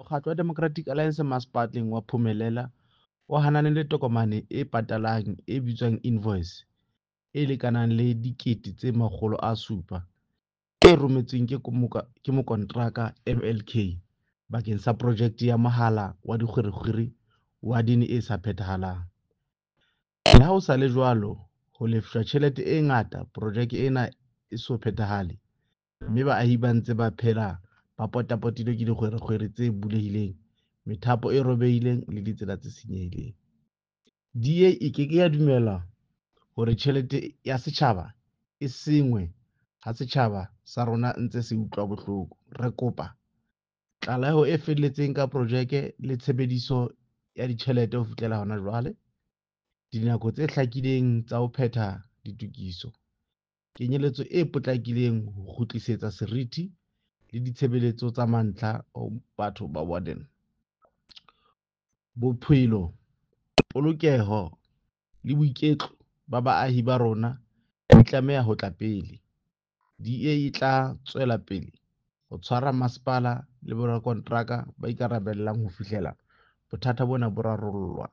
Mokgatlo wa Democratic Alliance Masepaleng wa Phumelela o hanane le tokomane e patalang e bitswang invoice e lekanang le R700 000 e rometsweng ke mokonteraka MLK bakeng sa projeke ya mohala wa dikgwerekgwere wadene e sa phethahalang. Le ha ho sa le jwalo, ho lefshwa tjhelete e ngata projeke ena e so phethahale mme baahi ba ntse ba phela ba potapotilwe ke dikgwerekgwere tse bulehileng, methapo e robehileng le ditsela tse senyehileng. DA e ke ke ya dumella hore tjhelete ya setjhaba e sengwe ha setjhaba sa rona ntse se utlwa bohloko. Re kopa tlaleho e felletseng ka projeke le tshebediso ya ditjhelete ho fihlela hona jwale, dinako tse hlakileng tsa ho phetha ditokiso, kenyeletso e potlakileng ho kgutlisetsa seriti le ditshebeletso tsa mantlha ho batho ba Warden. Bophelo, polokeho le boiketlo ba baahi ba rona di tlameha ho tla pele. DA e tla tswela pele ho tshwara masepala le borakonteraka ba ikarabellang ho fihlela bothata bona bo rarollwa.